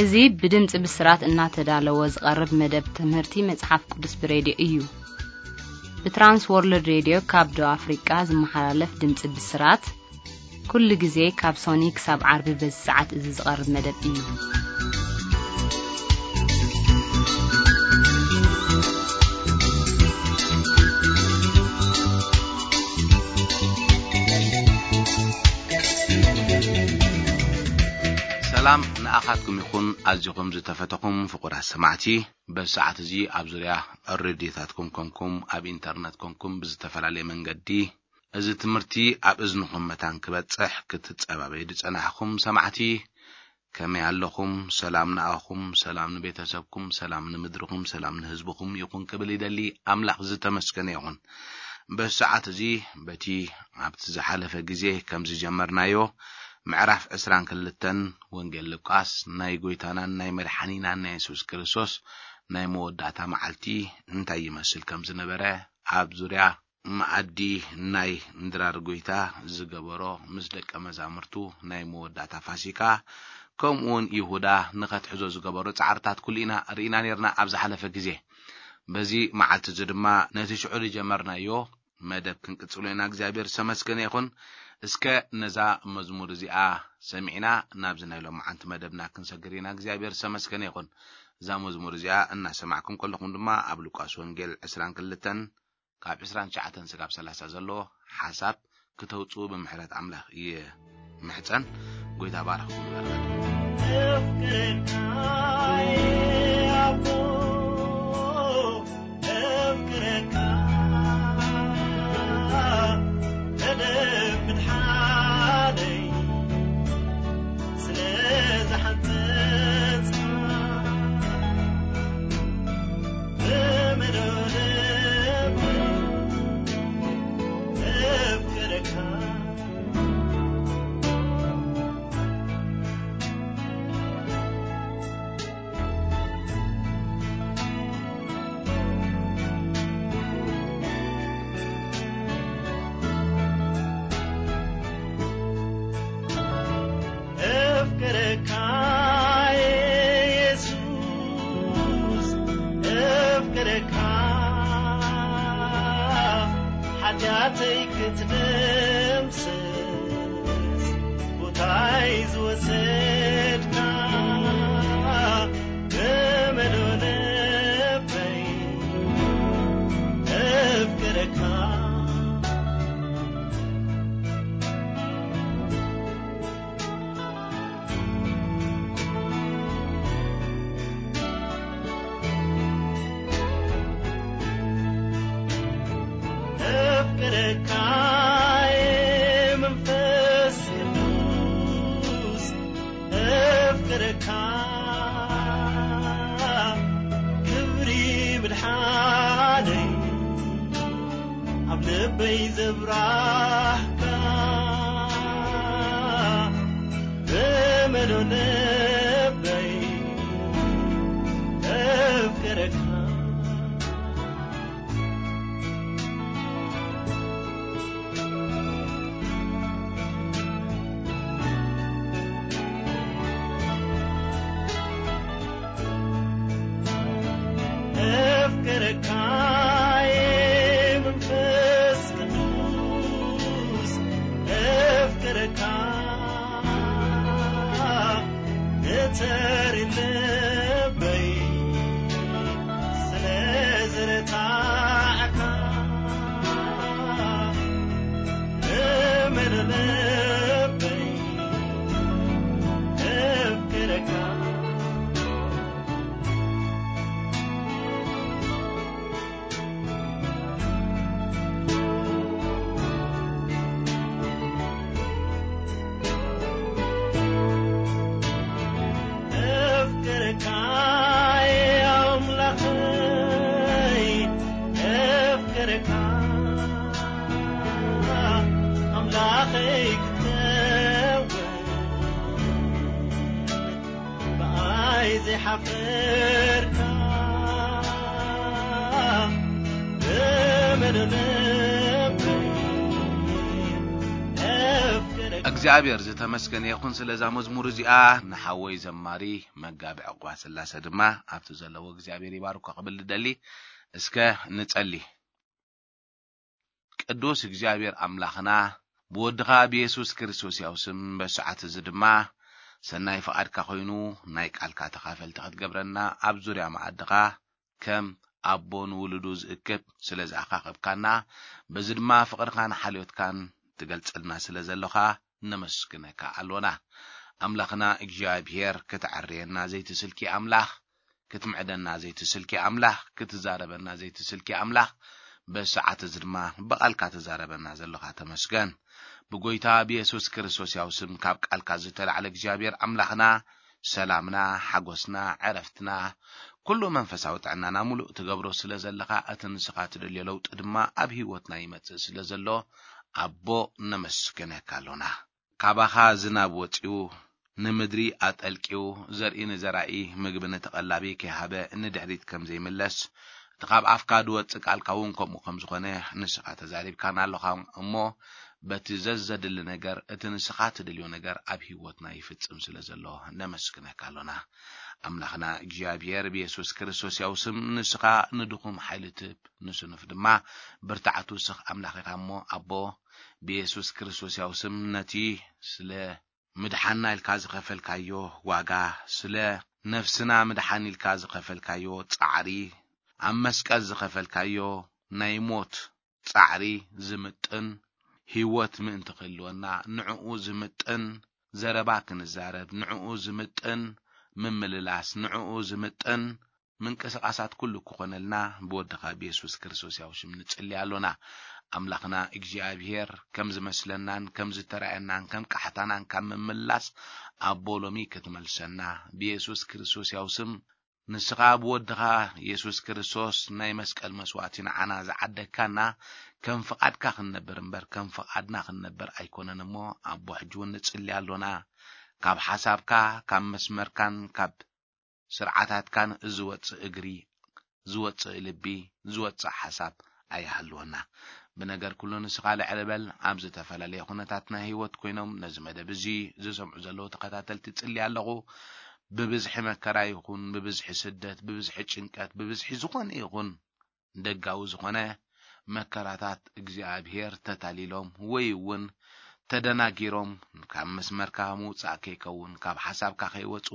እዚ ብድምጺ ብስራት እናተዳለወ ዝቐርብ መደብ ትምህርቲ መጽሓፍ ቅዱስ ብሬድዮ እዩ። ብትራንስ ወርልድ ሬድዮ ካብ ደቡብ ኣፍሪቃ ዝመሓላለፍ ድምጺ ብስራት፣ ኩሉ ግዜ ካብ ሶኒ ክሳብ ዓርቢ በዚ ሰዓት እዚ ዝቐርብ መደብ እዩ። ሰላም ንኣኻትኩም ይኹን፣ ኣዚኹም ዝተፈተኹም ፍቑራት ሰማዕቲ። በዚ ሰዓት እዚ ኣብ ዙርያ ሬድዮታትኩም ኮንኩም፣ ኣብ ኢንተርነት ኮንኩም፣ ብዝተፈላለየ መንገዲ እዚ ትምህርቲ ኣብ እዝንኹም መታን ክበጽሕ ክትጸባበዩ ዝጸናሕኹም ሰማዕቲ፣ ከመይ ኣለኹም? ሰላም ንኣኹም፣ ሰላም ንቤተሰብኩም፣ ሰላም ንምድርኹም፣ ሰላም ንህዝብኹም ይኹን ክብል ይደሊ። ኣምላኽ ዝተመስገነ ይኹን። በዚ ሰዓት እዚ በቲ ኣብቲ ዝሓለፈ ግዜ ከም ዝጀመርናዮ ምዕራፍ ዕስራን ክልተን ወንጌል ሉቃስ ናይ ጎይታናን ናይ መድሓኒናን ናይ የሱስ ክርስቶስ ናይ መወዳእታ መዓልቲ እንታይ ይመስል ከም ዝነበረ ኣብ ዙርያ መኣዲ ናይ ድራር ጎይታ ዝገበሮ ምስ ደቀ መዛሙርቱ ናይ መወዳእታ ፋሲካ፣ ከምኡውን ይሁዳ ንኸትሕዞ ዝገበሮ ጻዕርታት ኩሉ ኢና ርኢና ነርና ኣብ ዝሓለፈ ግዜ። በዚ መዓልቲ እዚ ድማ ነቲ ሽዑ ዝጀመርናዮ መደብ ክንቅጽሎ ኢና። እግዚኣብሔር ዝተመስገነ ይኹን። እስከ ነዛ መዝሙር እዚኣ ሰሚዕና ናብዚ ናይ ሎምዓንቲ መደብና ክንሰግር ኢና። እግዚኣብሔር ዝተመስገነ ይኹን። እዛ መዝሙር እዚኣ እናሰማዕኩም ከለኹም ድማ ኣብ ሉቃስ ወንጌል ዕስራን ክልተን ካብ ዕስራን ትሽዓተን ስጋብ ሰላሳ ዘሎ ሓሳብ ክተውጽኡ ብምሕረት ኣምላኽ ይምሕጸን። ጎይታ ባርኽኩም ይባርካት። እግዚኣብሔር ዝተመስገነ ይኹን ስለ እዛ መዝሙር እዚኣ። ንሓወይ ዘማሪ መጋቢ ዕቑባ ስላሰ ድማ ኣብቲ ዘለዎ እግዚኣብሔር ይባርኮ ክብል እደሊ። እስከ ንጸሊ። ቅዱስ እግዚኣብሔር ኣምላኽና፣ ብወድኻ ብየሱስ ክርስቶስ ያው ስም በሰዓት እዚ ድማ ሰናይ ፍቓድካ ኮይኑ ናይ ቃልካ ተኻፈልቲ ክትገብረና ኣብ ዙርያ መኣድኻ ከም ኣቦ ንውሉዱ ዝእክብ ስለ ዝኣኻኸብካና፣ በዚ ድማ ፍቕርካን ሓልዮትካን ትገልጸልና ስለ ዘሎኻ ነመስግነካ ኣሎና። ኣምላኽና እግዚኣብሔር፣ ክትዕርየና ዘይትስልኪ ኣምላኽ፣ ክትምዕደና ዘይትስልኪ ኣምላኽ፣ ክትዛረበና ዘይትስልኪ ኣምላኽ፣ በዚ ሰዓት እዚ ድማ ብቓልካ ትዛረበና ዘሎኻ ተመስገን። ብጎይታ ብየሱስ ክርስቶስ ያው ስም ካብ ቃልካ ዝተላዕለ እግዚኣብሔር ኣምላኽና፣ ሰላምና፣ ሓጎስና፣ ዕረፍትና፣ ኩሉ መንፈሳዊ ጥዕናና ሙሉእ ትገብሮ ስለ ዘለኻ፣ እቲ ንስኻ ትደልዮ ለውጢ ድማ ኣብ ህይወትና ይመጽእ ስለ ዘሎ፣ ኣቦ ነመስግነካ ኣሎና። ካባኻ ዝናብ ወጺኡ፣ ንምድሪ ኣጠልቂው፣ ዘርኢ ንዘራኢ፣ ምግቢ ንተቐላቢ ከይሃበ ንድሕሪት ከም ዘይምለስ፣ እቲ ካብ ኣፍካ ዝወጽእ ቃልካ እውን ከምኡ ከም ዝኾነ ንስኻ ተዛሪብካና ኣሎኻ እሞ፣ በቲ ዘዘድሊ ነገር፣ እቲ ንስኻ ትደልዮ ነገር ኣብ ህይወትና ይፍጽም ስለ ዘሎ ነመስግነካ ኣሎና። ኣምላኽና እግዚኣብሔር ብየሱስ ክርስቶስ ያው ስም ንስኻ ንድኹም ሓይሊ ትህብ፣ ንስኑፍ ድማ ብርታዕቱ ስኽ ኣምላኽ ኢኻ እሞ፣ ኣቦ ብየሱስ ክርስቶስ ያው ስም ነቲ ስለ ምድሓንና ኢልካ ዝኸፈልካዮ ዋጋ፣ ስለ ነፍስና ምድሓን ኢልካ ዝኸፈልካዮ ጻዕሪ፣ ኣብ መስቀል ዝኸፈልካዮ ናይ ሞት ጻዕሪ ዝምጥን፣ ህይወት ምእንቲ ክህልወና ንዕኡ ዝምጥን ዘረባ ክንዛረብ፣ ንዕኡ ዝምጥን ምምልላስ፣ ንዕኡ ዝምጥን ምንቅስቓሳት ኩሉ ክኾነልና ብወድኻ ብየሱስ ክርስቶስ ያው ሽም ንጽሊ ኣሎና። ኣምላኽና እግዚኣብሔር ከም ዝመስለናን ከም ዝተራእየናን ከም ቃሕታናን ካብ ምምላስ ኣቦ ሎሚ ክትመልሰና ብየሱስ ክርስቶስ ያው ስም ንስኻ ብወድኻ የሱስ ክርስቶስ ናይ መስቀል መስዋእቲ ንዓና ዝዓደግካና ከም ፍቓድካ ክንነብር እምበር ከም ፍቓድና ክንነብር ኣይኮነን እሞ ኣቦ ሕጂ እውን ንጽሊ ኣሎና። ካብ ሓሳብካ ካብ መስመርካን ካብ ስርዓታትካን ዝወጽእ እግሪ፣ ዝወጽእ ልቢ፣ ዝወጽእ ሓሳብ ኣይሃልወና። ብነገር ኩሉ ንስኻ ልዕል በል። ኣብ ዝተፈላለየ ኩነታት ናይ ህይወት ኮይኖም ነዚ መደብ እዚ ዝሰምዑ ዘለዉ ተኸታተልቲ ጽሊ ኣለኹ። ብብዝሒ መከራ ይኹን፣ ብብዝሒ ስደት፣ ብብዝሒ ጭንቀት፣ ብብዝሒ ዝኾነ ይኹን ደጋዊ ዝኾነ መከራታት እግዚኣብሔር ተታሊሎም ወይ እውን ተደናጊሮም ካብ መስመርካ ምውጻእ ከይከውን፣ ካብ ሓሳብካ ከይወጹ፣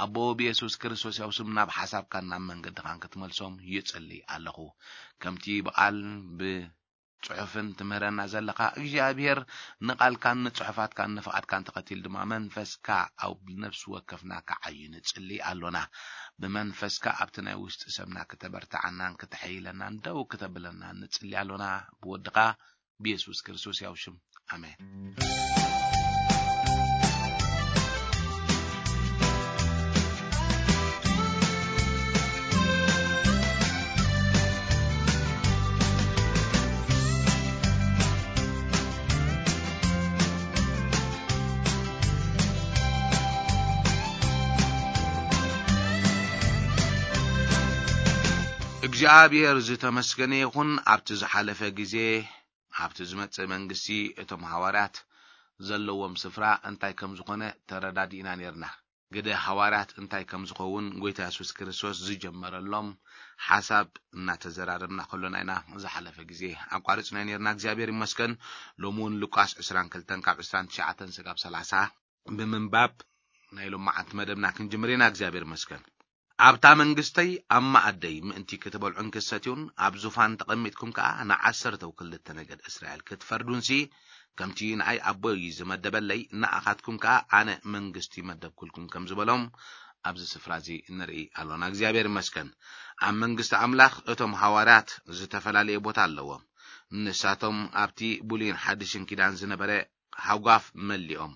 ኣቦ ብየሱስ ክርስቶስ ያው ስም ናብ ሓሳብካን ናብ መንገድኻን ክትመልሶም ይጽሊ ኣለኹ። ከምቲ ብቓል ብጽሑፍን ትምህረና ዘለኻ እግዚኣብሔር ንቓልካን ንጽሑፋትካን ንፍቓድካን ተኸቲል ድማ መንፈስካ ኣብ ነፍሲ ወከፍና ክዓዩ ንጽሊ ኣሎና። ብመንፈስካ ኣብቲ ናይ ውሽጢ ሰብና ክተበርትዓናን ክተሐይለናን ደው ክተብለናን ንጽሊ ኣሎና። ብወድኻ ብየሱስ ክርስቶስ ያው ሽም ኣሜን። እግዚኣብሔር ዝተመስገነ ይኹን። ኣብቲ ዝሓለፈ ግዜ ኣብቲ ዝመጽእ መንግስቲ እቶም ሃዋርያት ዘለዎም ስፍራ እንታይ ከም ዝኾነ ተረዳዲእና ኔርና። ግደ ሃዋርያት እንታይ ከም ዝኸውን ጎይታ የሱስ ክርስቶስ ዝጀመረሎም ሓሳብ እናተዘራረብና ከሎና ኢና ዝሓለፈ ግዜ ኣቋሪጽና ኔርና። እግዚኣብሔር ይመስገን። ሎሚ እውን ሉቃስ ዕስራን ክልተን ካብ ዕስራን ትሽዓተን ስጋብ ሰላሳ ብምንባብ ናይ ሎማዓንቲ መደብና ክንጅምር ኢና። እግዚኣብሔር ይመስገን። ኣብታ መንግስተይ ኣብ መኣደይ ምእንቲ ክትበልዑን ክትሰትዩን ኣብ ዙፋን ተቐሚጥኩም ከኣ ንዓሰርተው ክልተ ነገድ እስራኤል ክትፈርዱንሲ ከምቲ ንኣይ ኣቦይ ዝመደበለይ ንኣኻትኩም ከኣ ኣነ መንግስቲ መደብኩልኩም ከም ዝበሎም ኣብዚ ስፍራ እዚ ንርኢ ኣሎና። እግዚኣብሔር ይመስገን። ኣብ መንግስቲ ኣምላኽ እቶም ሃዋርያት ዝተፈላለየ ቦታ ኣለዎም። ንሳቶም ኣብቲ ብሉይን ሓድሽን ኪዳን ዝነበረ ሃጓፍ መሊኦም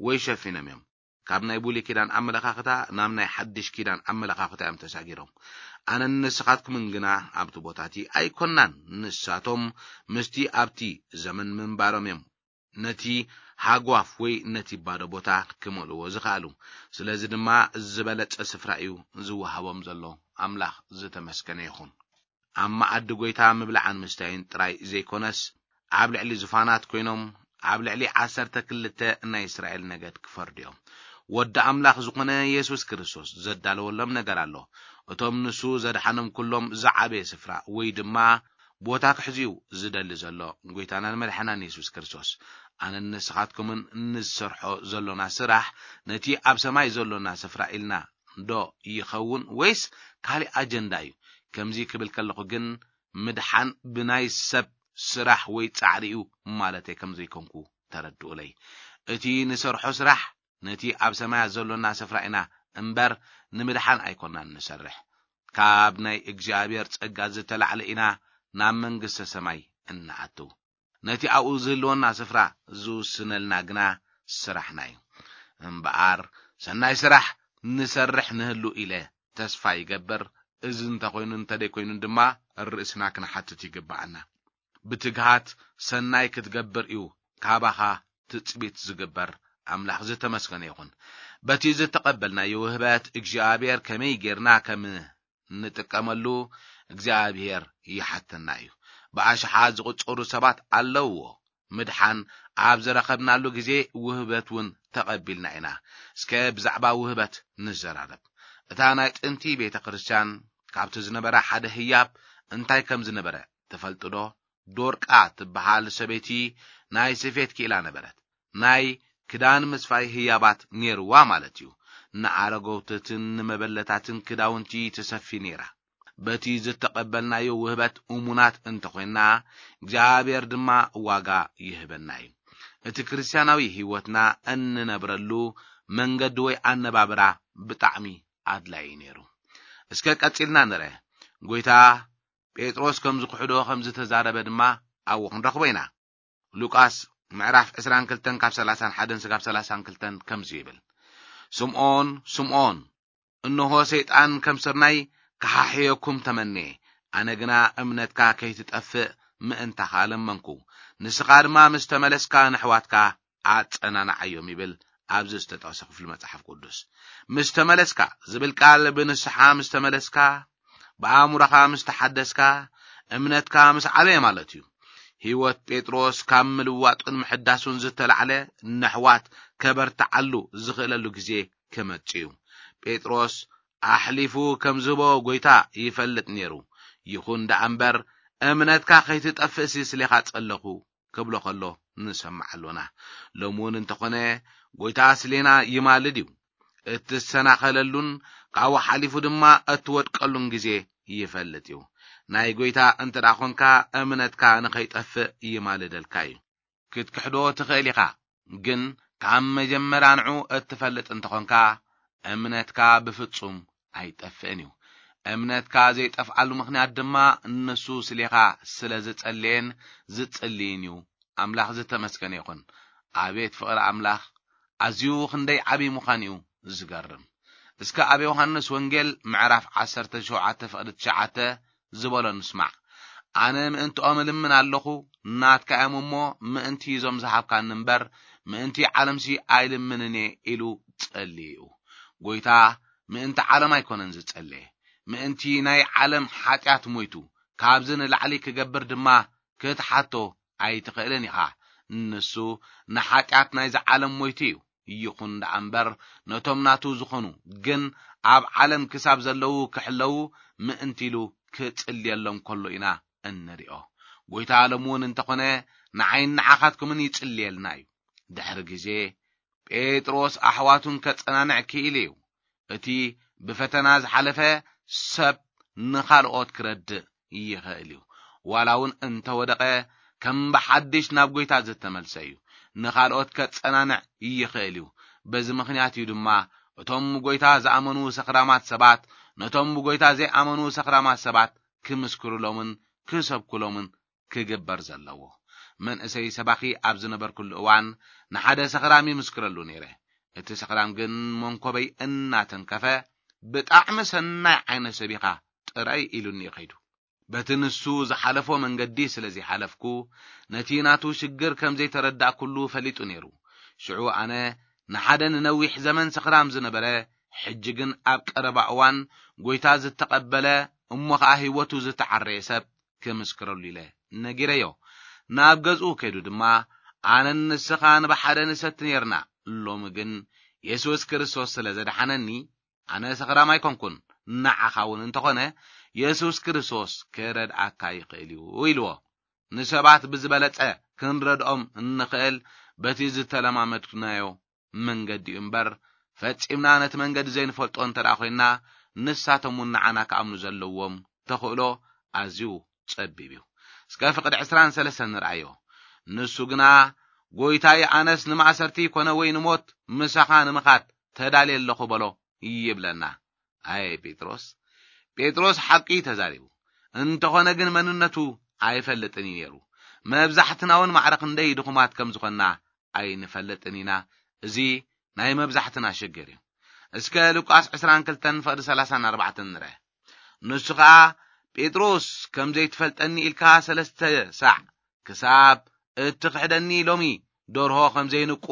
ወይ ሸፊኖም እዮም። ካብ ናይ ብሉይ ኪዳን ኣመለኻኽታ ናብ ናይ ሓድሽ ኪዳን ኣመለኻኽታ እዮም ተሳጊሮም። ኣነን ንስኻትኩምን ግና ኣብቲ ቦታ እቲ ኣይኮንናን። ንሳቶም ምስቲ ኣብቲ ዘመን ምንባሮም እዮም ነቲ ሃጓፍ ወይ ነቲ ባዶ ቦታ ክመልእዎ ዝኸኣሉ። ስለዚ ድማ ዝበለጸ ስፍራ እዩ ዝወሃቦም ዘሎ። ኣምላኽ ዝተመስገነ ይኹን። ኣብ መኣዲ ጐይታ ምብላዕን ምስታይን ጥራይ ዘይኮነስ፣ ኣብ ልዕሊ ዙፋናት ኮይኖም ኣብ ልዕሊ ዓሰርተ ክልተ ናይ እስራኤል ነገድ ክፈርዱ እዮም። ወዲ ኣምላኽ ዝኾነ የሱስ ክርስቶስ ዘዳለወሎም ነገር ኣሎ። እቶም ንሱ ዘድሓኖም ኩሎም ዝዓበየ ስፍራ ወይ ድማ ቦታ ክሕዝዩ ዝደሊ ዘሎ ጎይታናን መድሓናን የሱስ ክርስቶስ። ኣነን ንስኻትኩምን ንሰርሖ ዘሎና ስራሕ ነቲ ኣብ ሰማይ ዘሎና ስፍራ ኢልና ዶ ይኸውን ወይስ ካልእ ኣጀንዳ እዩ? ከምዚ ክብል ከለኹ ግን ምድሓን ብናይ ሰብ ስራሕ ወይ ጻዕሪ እዩ ማለተይ ከም ዘይኮንኩ ተረድኡለይ። እቲ ንሰርሖ ስራሕ ነቲ ኣብ ሰማያት ዘሎና ስፍራ ኢና እምበር ንምድሓን ኣይኮናን ንሰርሕ። ካብ ናይ እግዚኣብሔር ጸጋ ዝተላዕለ ኢና ናብ መንግስተ ሰማይ እንኣቱ። ነቲ ኣብኡ ዝህልወና ስፍራ ዝውስነልና ግና ስራሕና እዩ። እምበኣር ሰናይ ስራሕ ንሰርሕ ንህሉ ኢለ ተስፋ ይገብር። እዚ እንተኾይኑ እንተደይኮይኑ ድማ ርእስና ክንሓትት ይግብኣና። ብትግሃት ሰናይ ክትገብር እዩ ካባኻ ትጽቢት ዝግበር። ኣምላኽ ዝተመስገነ ይኹን። በቲ ዝተቐበልናዮ ውህበት እግዚኣብሔር ከመይ ጌርና ከም እንጥቀመሉ እግዚኣብሔር ይሓተና እዩ። ብኣሽሓት ዝቑጸሩ ሰባት ኣለውዎ። ምድሓን ኣብ ዝረኸብናሉ ግዜ ውህበት እውን ተቐቢልና ኢና። እስከ ብዛዕባ ውህበት ንዘራረብ። እታ ናይ ጥንቲ ቤተ ክርስቲያን ካብቲ ዝነበረ ሓደ ህያብ እንታይ ከም ዝነበረ ትፈልጡ ዶ? ዶርቃ ትበሃል ሰበይቲ ናይ ስፌት ክኢላ ነበረት። ናይ ክዳን ምስፋይ ህያባት ኔርዋ ማለት እዩ። ንኣረገውትትን ንመበለታትን ክዳውንቲ ትሰፊ ኔራ። በቲ ዝተቐበልናዮ ውህበት እሙናት እንተኾይንና፣ እግዚኣብሔር ድማ ዋጋ ይህበና እዩ። እቲ ክርስትያናዊ ህይወትና እንነብረሉ መንገዲ ወይ ኣነባብራ ብጣዕሚ ኣድላዪ ነይሩ። እስከ ቀጺልና ንርአ። ጎይታ ጴጥሮስ ከም ዝኽሕዶ ከም ዝተዛረበ ድማ ኣብኡ ክንረኽቦ ኢና። ሉቃስ ምዕራፍ ዕስራን ክልተን ካብ ሰላሳን ሓደን ስጋብ ሰላሳን ክልተን ከምዚ ይብል፣ ስምዖን፣ ስምዖን፣ እንሆ ሰይጣን ከም ስርናይ ክሓሕየኩም ተመኔ፣ ኣነ ግና እምነትካ ከይትጠፍእ ምእንታኻ ለመንኩ። ንስኻ ድማ ምስ ተመለስካ ንኣሕዋትካ ኣጸናንዓዮም ይብል ኣብዚ ዝተጠቕሰ ክፍሊ መጽሓፍ ቅዱስ። ምስ ተመለስካ ዝብል ቃል ብንስሓ ምስ ተመለስካ፣ ብኣእምሮኻ ምስ ተሓደስካ፣ እምነትካ ምስ ዓበየ ማለት እዩ። ህይወት ጴጥሮስ ካብ ምልዋጡን ምሕዳሱን ዝተላዕለ ንኣሕዋት ከበርትዓሉ ዝኽእለሉ ግዜ ክመጽእ እዩ። ጴጥሮስ ኣሕሊፉ ከም ዝህቦ ጎይታ ይፈልጥ ነይሩ። ይኹን ደኣ እምበር፣ እምነትካ ከይትጠፍእሲ ስሌኻ ጸለኹ ክብሎ ከሎ ንሰምዕ ኣሎና። ሎሚ እውን እንተኾነ ጎይታ ስሌና ይማልድ እዩ። እትሰናኸለሉን ካብኡ ሓሊፉ ድማ እትወድቀሉን ግዜ ይፈልጥ እዩ። ናይ ጎይታ እንተ ደኣ ኾንካ እምነትካ ንኸይጠፍእ ይማልደልካ እዩ። ክትክሕዶ ትኽእል ኢኻ፣ ግን ካብ መጀመርያ ንዑ እትፈልጥ እንተኾንካ እምነትካ ብፍጹም ኣይጠፍእን እዩ። እምነትካ ዘይጠፍኣሉ ምኽንያት ድማ ንሱ ስሌኻ ስለ ዝጸለየን ዝጽልይን እዩ። ኣምላኽ ዝተመስገነ ይኹን። ኣቤት ፍቕሪ ኣምላኽ ኣዝዩ ክንደይ ዓብዪ ምዃን እዩ ዝገርም። እስከ ኣብ ዮሃንስ ወንጌል ምዕራፍ ዓሰርተ ሸውዓተ ፍቕዲ ትሽዓተ ዝበሎ ንስማዕ። ኣነ ምእንትኦም እልምን ኣለኹ፣ ናትካ እዮም እሞ ምእንቲ እዞም ዝሃብካኒ እምበር ምእንቲ ዓለምሲ ኣይልምንን እየ ኢሉ ጸልዩ እዩ። ጎይታ ምእንቲ ዓለም ኣይኮነን ዝጸለየ፣ ምእንቲ ናይ ዓለም ሓጢኣት ሞይቱ፣ ካብዚ ንላዕሊ ክገብር ድማ ክትሓቶ ኣይትኽእልን ኢኻ። ንሱ ንሓጢኣት ናይዚ ዓለም ሞይቱ እዩ። ይኹን ደኣ እምበር ነቶም ናቱ ዝኾኑ ግን ኣብ ዓለም ክሳብ ዘለዉ ክሕለዉ ምእንቲ ኢሉ ክጽልየሎም ከሎ ኢና እንሪኦ። ጎይታ ሎም እውን እንተኾነ ንዓይን ንዓኻትኩምን ይጽልየልና እዩ። ድሕሪ ግዜ ጴጥሮስ ኣሕዋቱን ከጸናንዕ ክኢሉ እዩ። እቲ ብፈተና ዝሓለፈ ሰብ ንኻልኦት ክረድእ ይኽእል እዩ። ዋላ እውን እንተወደቐ ከም ብሓድሽ ናብ ጎይታ ዝተመልሰ እዩ። ንኻልኦት ከጸናንዕ ይኽእል እዩ። በዚ ምኽንያት እዩ ድማ እቶም ብጎይታ ዝኣመኑ ሰኽራማት ሰባት ነቶም ብጎይታ ዘይኣመኑ ሰኽራማት ሰባት ክምስክሩሎምን ክሰብኩሎምን ክግበር ዘለዎ። መንእሰይ ሰባኺ ኣብ ዝነበርኩሉ እዋን ንሓደ ሰኽራም ይምስክረሉ ነይረ። እቲ ሰኽራም ግን መንኮበይ እናተንከፈ፣ "ብጣዕሚ ሰናይ ዓይነት ሰብ ኢኻ ጥራይ" ኢሉኒ እዩ ከይዱ። በቲ ንሱ ዝሓለፎ መንገዲ ስለ ዘይሓለፍኩ፣ ነቲ ናቱ ሽግር ከም ዘይተረዳእኩሉ ፈሊጡ ነይሩ። ሽዑ ኣነ ንሓደ ንነዊሕ ዘመን ሰኽራም ዝነበረ፣ ሕጂ ግን ኣብ ቀረባ እዋን ጎይታ ዝተቐበለ፣ እሞ ኸኣ ህይወቱ ዝተዓረየ ሰብ ክምስክረሉ ኢለ ነጊረዮ። ናብ ገዝኡ ከይዱ ድማ ኣነን ንስኻን ብሓደ ንሰቲ ነርና። ሎሚ ግን የሱስ ክርስቶስ ስለ ዘድሓነኒ፣ ኣነ ሰኽራም ኣይኮንኩን። ንዓኻ እውን እንተኾነ፣ የሱስ ክርስቶስ ክረድኣካ ይኽእል እዩ ኢልዎ። ንሰባት ብዝበለጸ ክንረድኦም እንኽእል በቲ ዝተለማመድናዮ መንገዲ እዩ እምበር፣ ፈጺምና ነቲ መንገዲ ዘይንፈልጦ እንተ ደኣ ኮይንና፣ ንሳቶም እውን ንዓና ክኣምኑ ዘለዎም ተኽእሎ ኣዝዩ ጸቢብ እዩ። እስከ ፍቕዲ ዕስራን ሰለስተን ንርኣዮ። ንሱ ግና፣ "ጐይታይ፣ ኣነስ ንማእሰርቲ ይኮነ ወይ ንሞት ምሳኻ ንምኻድ ተዳልየ ኣለኹ" በሎ ይብለና። ኣየ ጴጥሮስ፣ ጴጥሮስ ሓቂ እዩ ተዛሪቡ። እንተኾነ ግን መንነቱ ኣይፈልጥን እዩ ነይሩ። መብዛሕትና እውን ማዕረ ክንደይ ድኹማት ከም ዝኾንና ኣይንፈልጥን ኢና። እዚ ናይ መብዛሕትና ሽግር እዩ። እስከ ሉቃስ ዕስራን ክልተን ፍቕዲ ሰላሳን ኣርባዕተን ንርአ። ንሱ ኸኣ፣ "ጴጥሮስ፣ ከም ዘይትፈልጠኒ ኢልካ ሰለስተ ሳዕ ክሳብ እትኽሕደኒ ሎሚ ደርሆ ከም ዘይንቁ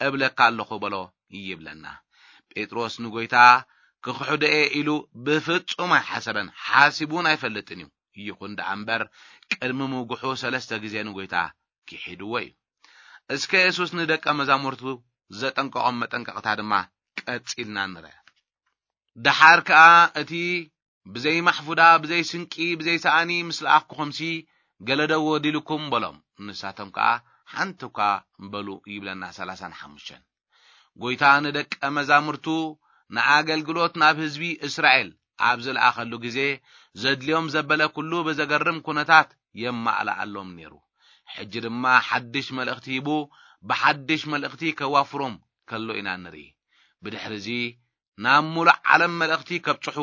እብለካ ኣለኹ" በሎ ይብለና። ጴጥሮስ ንጐይታ ክኽሕዶ እየ ኢሉ ብፍጹም ኣይሓሰበን፣ ሓሲቡ እውን ኣይፈልጥን እዩ። ይኹን ደኣ እምበር፣ ቅድሚ ምጉሑ ሰለስተ ግዜ ንጐይታ ክሒድዎ እዩ። እስከ የሱስ ንደቀ መዛሙርቱ ዘጠንቀቖም መጠንቀቕታ ድማ ቀጺልና ንርአ። ደሓር ከኣ እቲ "ብዘይ ማሕፉዳ፣ ብዘይ ስንቂ፣ ብዘይ ሰኣኒ ምስ ለኣኽኩኹምሲ፣ ገለ ዶ ወዲልኩም?" በሎም። ንሳቶም ከኣ፣ "ሓንቲ እኳ" በሉ ይብለና። ሰላሳን ሓሙሽተን። ጐይታ ንደቀ መዛሙርቱ ንኣገልግሎት ናብ ህዝቢ እስራኤል ኣብ ዝለኣኸሉ ግዜ፣ ዘድልዮም ዘበለ ኩሉ ብዘገርም ኩነታት የማእልኣሎም ነይሩ። ሕጂ ድማ ሓድሽ መልእኽቲ ሂቡ፣ ብሓድሽ መልእኽቲ ከዋፍሮም ከሎ ኢና ንርኢ። ብድሕርዚ ናብ ሙሉእ ዓለም መልእኽቲ ከብጽሑ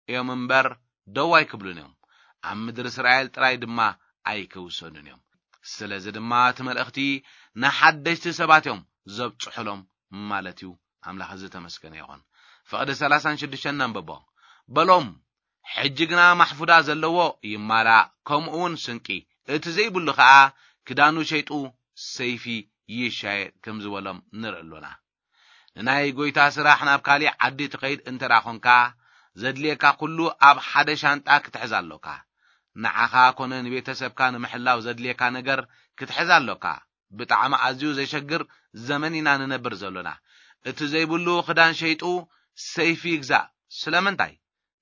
እዮም እምበር፣ ደው ኣይክብሉን እዮም። ኣብ ምድሪ እስራኤል ጥራይ ድማ ኣይክውሰኑን እዮም። ስለዚ ድማ እቲ መልእኽቲ ንሓደሽቲ ሰባት እዮም ዘብጽሑሎም ማለት እዩ። ኣምላኽ ዝተመስገነ ይኹን። ፍቕዲ ሰላሳን ሽዱሽተን ነንብቦ። በሎም፣ "ሕጂ ግና ማሕፉዳ ዘለዎ ይማላእ፣ ከምኡ እውን ስንቂ፣ እቲ ዘይብሉ ኸኣ ክዳኑ ሸይጡ ሰይፊ ይሻየጥ" ከም ዝበሎም ንርኢ ኣሎና። ንናይ ጐይታ ስራሕ ናብ ካሊእ ዓዲ ትኸይድ እንተ ደኣ ኾንካ፣ ዘድልየካ ኩሉ ኣብ ሓደ ሻንጣ ክትሕዝ ኣሎካ። ንዓኻ ኮነ ንቤተሰብካ ንምሕላው ዘድልየካ ነገር ክትሕዝ ኣሎካ። ብጣዕሚ ኣዝዩ ዘሸግር ዘመን ኢና ንነብር ዘሎና። እቲ ዘይብሉ ክዳን ሸይጡ ሰይፊ ይግዛእ። ስለምንታይ?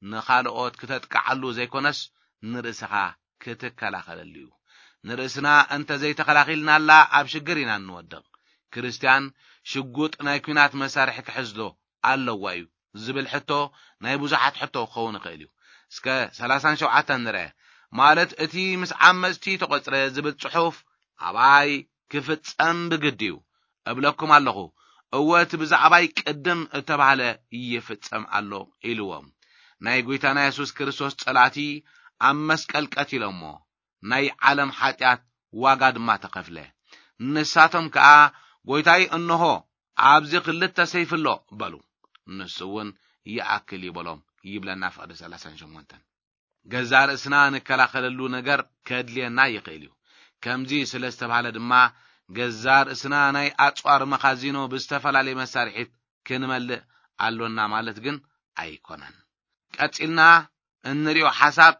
ንኻልኦት ክተጥቅዓሉ ዘይኮነስ፣ ንርእስኻ ክትከላኸለሉ እዩ። ንርእስና እንተ ዘይተኸላኺልናላ፣ ኣብ ሽግር ኢና እንወድቕ። ክርስትያን ሽጉጥ ናይ ኲናት መሳርሒ ክሕዝ ዶ ኣለዋ እዩ ዝብል ሕቶ ናይ ብዙሓት ሕቶ ክኸውን ይኽእል እዩ። እስከ ሰላሳን ሸውዓተን ንርአ። ማለት፣ እቲ ምስ ዓመጽቲ ተቖጽረ ዝብል ጽሑፍ ኣባይ ክፍጸም ብግዲ እዩ። እብለኩም ኣለኹ፣ እወ፣ እቲ ብዛዕባይ ቅድም እተባህለ ይፍጸም ኣሎ ኢልዎም። ናይ ጐይታና የሱስ ክርስቶስ ጸላእቲ ኣብ መስቀል ቀቲሎሞ፣ ናይ ዓለም ሓጢኣት ዋጋ ድማ ተኸፍለ። ንሳቶም ከኣ፣ "ጐይታይ፣ እንሆ፣ ኣብዚ ክልተ ሰይፊ ኣሎ" በሉ። ንሱ እውን፣ "ይኣክል እዩ" በሎም ይብለና ፍቕዲ ሰላሳን ሸሞንተን። ገዛእ ርእስና ንከላኸለሉ ነገር ከድልየና ይኽእል እዩ። ከምዚ ስለ ዝተባህለ ድማ፣ ገዛእ ርእስና ናይ ኣጽዋር መኻዚኖ ብዝተፈላለየ መሳርሒት ክንመልእ ኣሎና ማለት ግን ኣይኮነን። ቀጺልና እንሪኦ ሓሳብ፣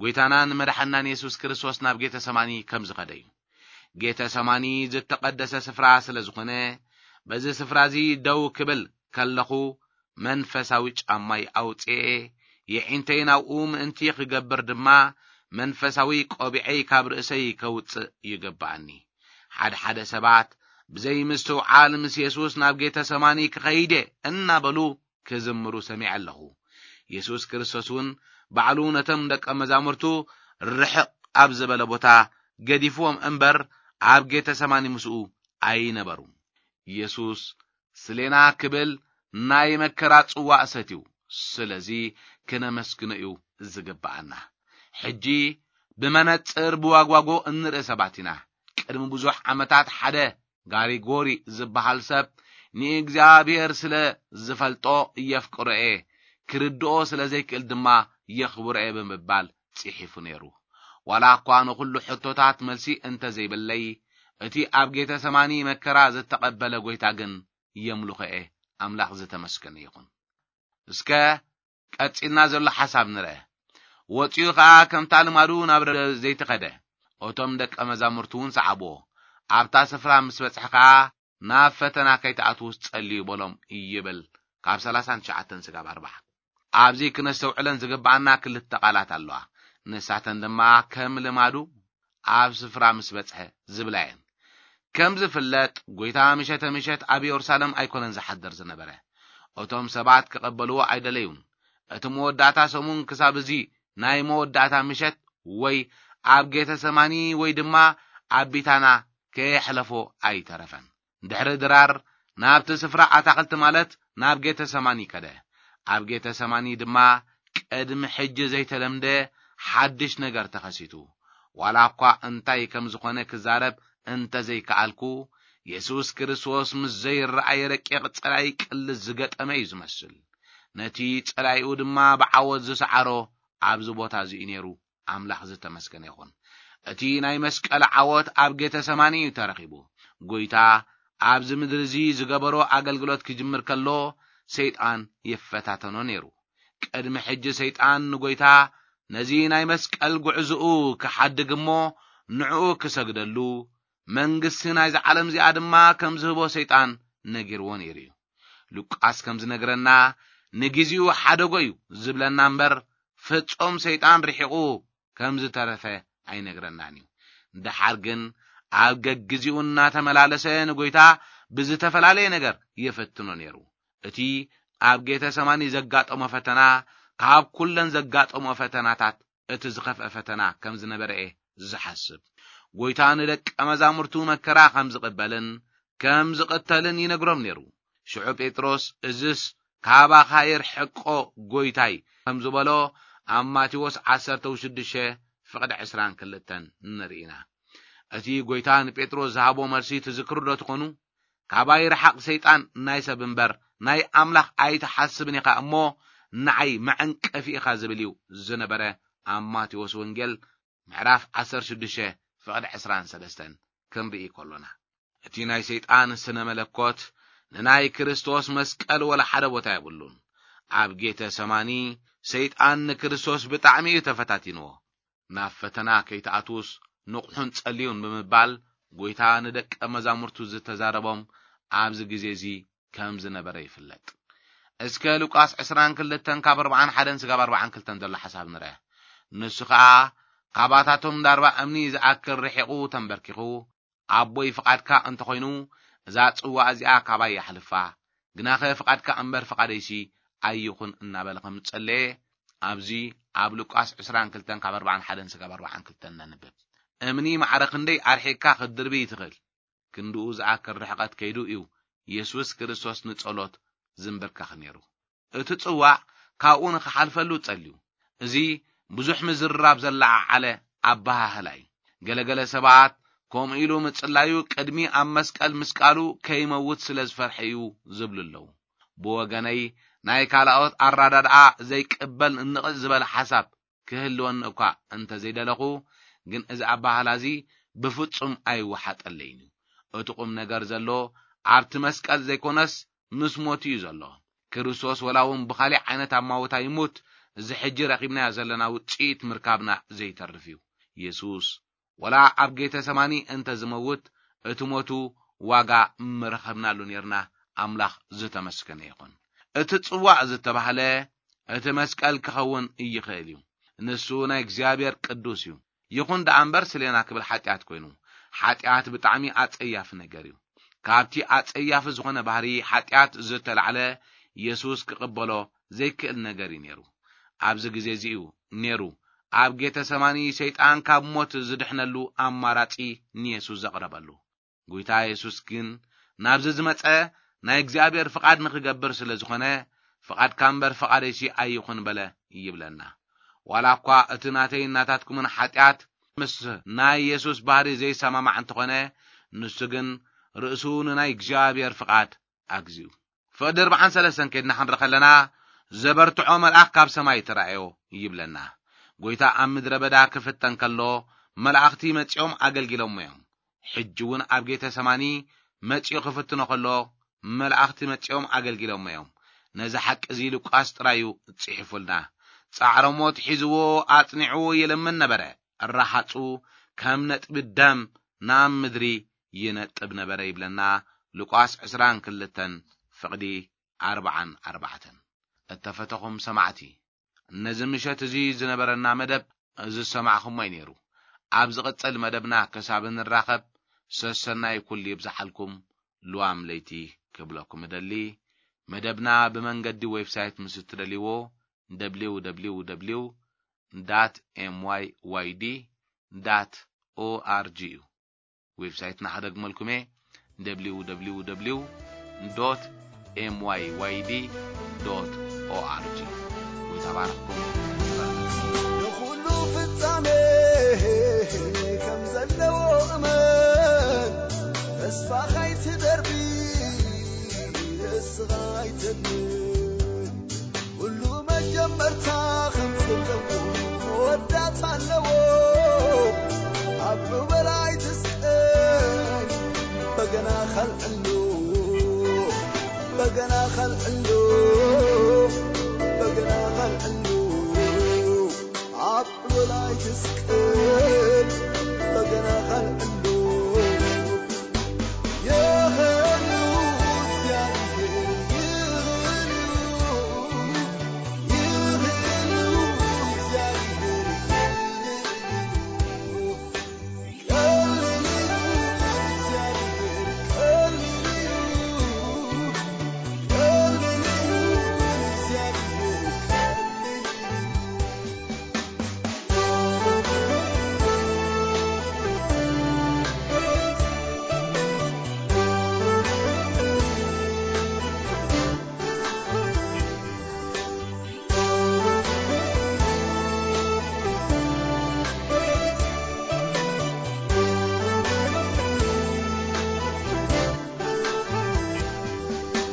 ጐይታናን መድሓናን የሱስ ክርስቶስ ናብ ጌተሰማኒ ከም ዝኸደ እዩ። ጌተሰማኒ ዝተቐደሰ ስፍራ ስለ ዝኾነ፣ በዚ ስፍራ እዚ ደው ክብል ከለኹ፣ መንፈሳዊ ጫማይ ኣውጽኤ፣ የዒንተይ ናብኡ ምእንቲ ክገብር ድማ፣ መንፈሳዊ ቆቢዐይ ካብ ርእሰይ ከውጽእ ይግብኣኒ። ሓደ ሓደ ሰባት ብዘይ ምስትውዓል፣ "ምስ የሱስ ናብ ጌተሰማኒ ክኸይድ እየ" እናበሉ ክዝምሩ ሰሚዐ ኣለኹ። የሱስ ክርስቶስ እውን ባዕሉ ነቶም ደቀ መዛሙርቱ ርሕቕ ኣብ ዝበለ ቦታ ገዲፍዎም እምበር፣ ኣብ ጌተሰማኒ ምስኡ ኣይነበሩን። የሱስ ስሌና ክብል ናይ መከራ ጽዋእ ሰትዩ። ስለዚ ክነመስግኖ እዩ ዝግብኣና። ሕጂ ብመነጽር ብዋግዋጎ እንርኢ ሰባት ኢና። ቅድሚ ብዙሕ ዓመታት ሓደ ጋሪጎሪ ዝበሃል ሰብ፣ "ንእግዚኣብሔር ስለ ዝፈልጦ የፍቅሮ እየ፣ ክርድኦ ስለ ዘይክእል ድማ የኽብሮ እየ" ብምባል ጽሒፉ ነይሩ። ዋላ እኳ ንኹሉ ሕቶታት መልሲ እንተ ዘይብለይ፣ እቲ ኣብ ጌተሰማኒ መከራ ዝተቐበለ ጐይታ ግን የምልኾ እየ። ኣምላኽ ዝተመስገነ ይኹን። እስከ ቀጺልና ዘሎ ሓሳብ ንርአ። ወጺኡ ኸኣ ከምታ ልማዱ ናብ ደብረ ዘይት ኸደ። እቶም ደቀ መዛሙርቱ እውን ሰዓብዎ። ኣብታ ስፍራ ምስ በጽሐ ከኣ ናብ ፈተና ከይትኣትዉ ጸልዩ በሎም ይብል። ካብ ሰላሳን ትሽዓተን ስጋብ ኣርባዓ። ኣብዚ ክነስተውዕለን ዝግብኣና ክልተ ቃላት ኣለዋ። ንሳተን ድማ ከም ልማዱ ኣብ ስፍራ ምስ በጽሐ ዝብላ እየን። ከም ዝፍለጥ፣ ጎይታ ምሸተ ምሸት ኣብ የሩሳሌም ኣይኮነን ዝሓድር ዝነበረ። እቶም ሰባት ክቐበልዎ ኣይደለዩን። እቲ መወዳእታ ሰሙን ክሳብ እዚ ናይ መወዳእታ ምሸት ወይ ኣብ ጌተሰማኒ ወይ ድማ ኣብ ቢታና ከየሕለፎ ኣይተረፈን። ድሕሪ ድራር ናብቲ ስፍራ ኣታኽልቲ ማለት ናብ ጌተሰማኒ ከደ። ኣብ ጌተሰማኒ ድማ ቅድሚ ሕጂ ዘይተለምደ ሓድሽ ነገር ተኸሲቱ። ዋላ እኳ እንታይ ከም ዝኾነ ክዛረብ እንተ ዘይከኣልኩ፣ የሱስ ክርስቶስ ምስ ዘይረኣየ ረቂቕ ጸላኢ ቅልስ ዝገጠመ እዩ ዝመስል። ነቲ ጸላኢኡ ድማ ብዓወት ዝሰዓሮ ኣብዚ ቦታ እዚ እዩ ነይሩ። ኣምላኽ ዝተመስገነ ይኹን። እቲ ናይ መስቀል ዓወት ኣብ ጌተሰማኒ እዩ ተረኺቡ። ጎይታ ኣብዚ ምድሪ እዚ ዝገበሮ ኣገልግሎት ክጅምር ከሎ፣ ሰይጣን ይፈታተኖ ነይሩ። ቅድሚ ሕጂ ሰይጣን ንጎይታ ነዚ ናይ መስቀል ጉዕዝኡ ክሓድግ እሞ ንዕኡ ክሰግደሉ፣ መንግስቲ ናይዚ ዓለም እዚኣ ድማ ከም ዝህቦ ሰይጣን ነጊርዎ ነይሩ እዩ። ሉቃስ ከም ዝነግረና፣ ንግዜኡ ሓደጎ እዩ ዝብለና እምበር፣ ፍጹም ሰይጣን ርሒቑ ከም ዝተረፈ ኣይነግረናን እዩ። ደሓር ግን ኣብ ገግዜኡ እናተመላለሰ ንጎይታ ብዝተፈላለየ ነገር ይፍትኖ ነይሩ። እቲ ኣብ ጌተሰማኒ ዘጋጠሞ ፈተና ካብ ኩለን ዘጋጠሞ ፈተናታት እቲ ዝኸፍአ ፈተና ከም ዝነበረ እየ ዝሓስብ። ጎይታ ንደቀ መዛሙርቱ መከራ ከም ዝቕበልን ከም ዝቕተልን ይነግሮም ነይሩ። ሽዑ ጴጥሮስ፣ "እዝስ ካባኻ ይርሕቆ ጎይታይ" ከም ዝበሎ ኣብ ማቴዎስ ዓሰርተ ሽዱሽተ ፍቕዲ ዕስራን ክልተን ንርኢ ኢና። እቲ ጎይታ ንጴጥሮስ ዝሃቦ መልሲ ትዝክሩ ዶ ትኾኑ? "ካባይ ርሓቕ ሰይጣን፣ ናይ ሰብ እምበር ናይ ኣምላኽ ኣይትሓስብን ኢኻ እሞ ንዓይ መዐንቀፊ ኢኻ" ዝብል እዩ ዝነበረ። ኣብ ማቴዎስ ወንጌል ምዕራፍ ዓሰርተ ሽዱሽተ ፍቕዲ ዕስራን ሰለስተን ክንርኢ ከሎና፣ እቲ ናይ ሰይጣን ስነ መለኮት ንናይ ክርስቶስ መስቀል ወላ ሓደ ቦታ የብሉን። ኣብ ጌተ ሰማኒ ሰይጣን ንክርስቶስ ብጣዕሚ እዩ ተፈታቲንዎ። "ናብ ፈተና ከይትኣትዉስ ንቕሑን ጸልዩን" ብምባል ጎይታ ንደቀ መዛሙርቱ ዝተዛረቦም ኣብዚ ግዜ እዚ ከም ዝነበረ ይፍለጥ። እስከ ሉቃስ ዕስራን ክልተን ካብ ኣርባዓን ሓደን ስጋብ ኣርባዓን ክልተን ዘሎ ሓሳብ ንርአ። ንሱ ኸኣ ካባታቶም ዳርባ እምኒ ዝኣክል ርሒቑ ተንበርኪኹ፣ "ኣቦይ፣ ፍቓድካ እንተኾይኑ እዛ ጽዋ እዚኣ ካባይ የሕልፋ፣ ግናኸ ፍቓድካ እምበር ፍቓደይሲ ኣይኹን" እናበለ ከም ዝጸለየ ኣብዚ ኣብ ሉቃስ ዕስራን ክልተን ካብ ኣርባዓን ሓደን ስጋብ ኣርባዓን ክልተን ነንብብ። እምኒ ማዕረ ክንደይ ኣርሒቕካ ክትድርቢ ትኽእል? ክንድኡ ዝኣክል ርሕቐት ከይዱ እዩ የሱስ ክርስቶስ ንጸሎት ዝንብርከኽ ነይሩ። እቲ ጽዋዕ ካብኡ ንኽሓልፈሉ ጸልዩ። እዚ ብዙሕ ምዝርራብ ዘለዓዓለ ኣበሃህላ እዩ። ገለገለ ሰባት ከምኡ ኢሉ ምጽላዩ ቅድሚ ኣብ መስቀል ምስቃሉ ከይመውት ስለ ዝፈርሐ እዩ ዝብሉ ኣለዉ። ብወገነይ ናይ ካልኦት ኣረዳድኣ ዘይቅበል ንቕጽ ዝበለ ሓሳብ ክህልወኒ እኳ እንተ ዘይደለኹ፣ ግን እዚ ኣበሃህላ እዚ ብፍጹም ኣይወሓጠለይን እዩ። እቲ ቁም ነገር ዘሎ ኣብቲ መስቀል ዘይኮነስ ምስ ሞቱ እዩ ዘሎ። ክርስቶስ ወላ እውን ብኻሊእ ዓይነት ኣማውታ ይሙት፣ እዚ ሕጂ ረኺብናዮ ዘለና ውጽኢት ምርካብና ዘይተርፍ እዩ። የሱስ ወላ ኣብ ጌተ ሰማኒ እንተ ዝመውት፣ እቲ ሞቱ ዋጋ ምረኸብናሉ ኔርና። ኣምላኽ ዝተመስገነ ይኹን። እቲ ጽዋዕ ዝተባህለ እቲ መስቀል ክኸውን ይኽእል እዩ። ንሱ ናይ እግዚኣብሔር ቅዱስ እዩ። ይኹን ደኣ እምበር ስሌና ክብል ሓጢኣት ኮይኑ። ሓጢኣት ብጣዕሚ ኣጸያፊ ነገር እዩ። ካብቲ ኣጸያፊ ዝኾነ ባህሪ ሓጢኣት ዝተላዕለ የሱስ ክቕበሎ ዘይክእል ነገር እዩ ነይሩ። ኣብዚ ግዜ እዚ እዩ ነይሩ ኣብ ጌተ ሰማኒ ሰይጣን ካብ ሞት ዝድሕነሉ ኣማራጺ ንየሱስ ዘቕረበሉ። ጎይታ የሱስ ግን ናብዚ ዝመጸ ናይ እግዚኣብሔር ፍቓድ ንኽገብር ስለ ዝኾነ፣ "ፍቓድካ እምበር ፍቓደይሲ ኣይኹን" በለ ይብለና። ዋላ እኳ እቲ ናተይን ናታትኩምን ሓጢኣት ምስ ናይ የሱስ ባህሪ ዘይሰማማዕ እንተኾነ፣ ንሱ ግን ርእሱ ንናይ እግዚኣብሔር ፍቓድ ኣግዚኡ። ፍቕዲ ኣርባዓን ሰለስተን ከይድና ክንርኢ ከለና፣ "ዘበርትዖ መልኣኽ ካብ ሰማይ ተራእዮ" ይብለና። ጎይታ ኣብ ምድረ በዳ ክፍተን ከሎ፣ መላእኽቲ መጺኦም ኣገልጊሎሞ እዮም። ሕጂ እውን ኣብ ጌተ ሰማኒ መጺኡ ክፍትኖ ከሎ፣ መላእኽቲ መጺኦም ኣገልጊሎሞ እዮም። ነዚ ሓቂ እዚ ሉቃስ ጥራይ እዩ ጽሒፉልና። ጻዕረ ሞት ሒዝዎ ኣጽኒዕዎ ይልምን ነበረ። ረሃጹ ከም ነጥቢ ደም ናብ ምድሪ ይነጥብ ነበረ ይብለና ሉቃስ ዕስራን ክልተን ፍቕዲ ኣርባዓን ኣርባዕተን። እተፈተኹም ሰማዕቲ፣ ነዚ ምሸት እዚ ዝነበረና መደብ ዝሰማዕኹሞ እዩ ነይሩ። ኣብ ዝቕጽል መደብና ክሳብ እንራኸብ ሰሰናይ ኩሉ ይብዝሓልኩም። ልዋም ለይቲ ክብለኩም እደሊ። መደብና ብመንገዲ ዌብሳይት ምስ እትደልይዎ፣ www dot myyd dot org እዩ። ዌብሳይትና ክደግመልኩም እየ፣ www dot myyd dot org። ጎይታ ባርኽኩም። ንኹሉ ፍጻሜ ከም ዘለዎ እመን፣ ተስፋ ኸይትደርቢ ንስኻ ኣይተድምን። ኩሉ መጀመርታ ከም ዘለዎ መወዳእታ ኣለዎ። ኣብ በላይ ትስቀል በገና ኸልዕሉ፣ በገና ኸልዕሉ፣ በገና ኸልዕሉ። ኣብ በላይ ትስቀል በገና ኸልዕሉ።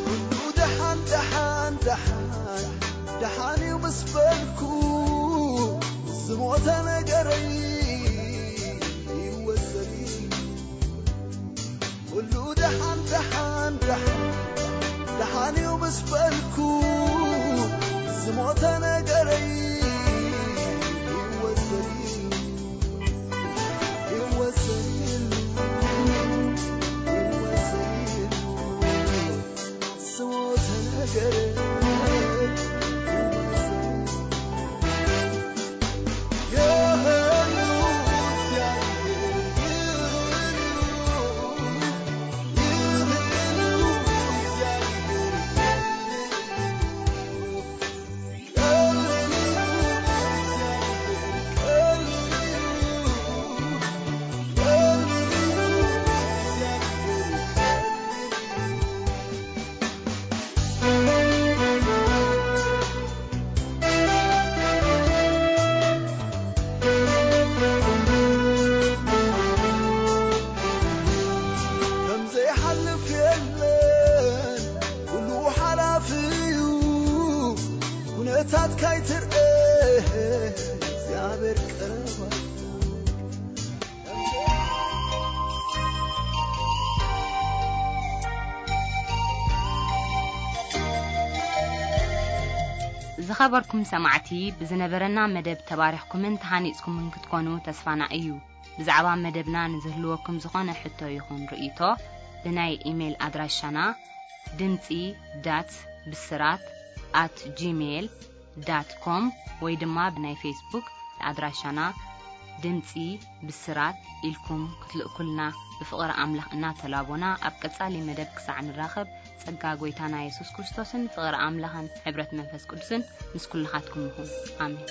ኩሉ ደሓን፣ ደሓን፣ ደሓን፣ ደሓን እዩ ምስ በልኩ፣ ዝሞተ ነገረይ ይወሰድ እዩ። ኩሉ ደሓን፣ ደሓን፣ ደሓን፣ ደሓን እዩ ምስ በልኩ፣ ዝሞተ ነገረይ ይወሰድ እዩ። ይወሰድ እዩ፣ ይወሰድ እዩ። ከም ዘይሓልፍ የለን፣ ኩሉ ሓላፊ እዩ። ኩነታት ካይትርአ እግዚኣብሔር ቀረባ። ዝኸበርኩም ሰማዕቲ፣ ብዝነበረና መደብ ተባሪኽኩምን ተሃኒጽኩምን ክትኮኑ ተስፋና እዩ። ብዛዕባ መደብና ንዝህልወኩም ዝኾነ ሕቶ ይኹን ርእይቶ፣ ብናይ ኢሜይል ኣድራሻና ድምጺ ዳት ብስራት ኣት ጂሜይል ዳት ኮም ወይ ድማ ብናይ ፌስቡክ ኣድራሻና ድምጺ ብስራት ኢልኩም ክትልእኩልና ብፍቕሪ ኣምላኽ እናተላቦና፣ ኣብ ቀጻሊ መደብ ክሳዕ ንራኸብ፣ ጸጋ ጐይታና የሱስ ክርስቶስን ፍቕሪ ኣምላኽን ሕብረት መንፈስ ቅዱስን ምስ ኩልኻትኩም ይኹን። ኣሜን።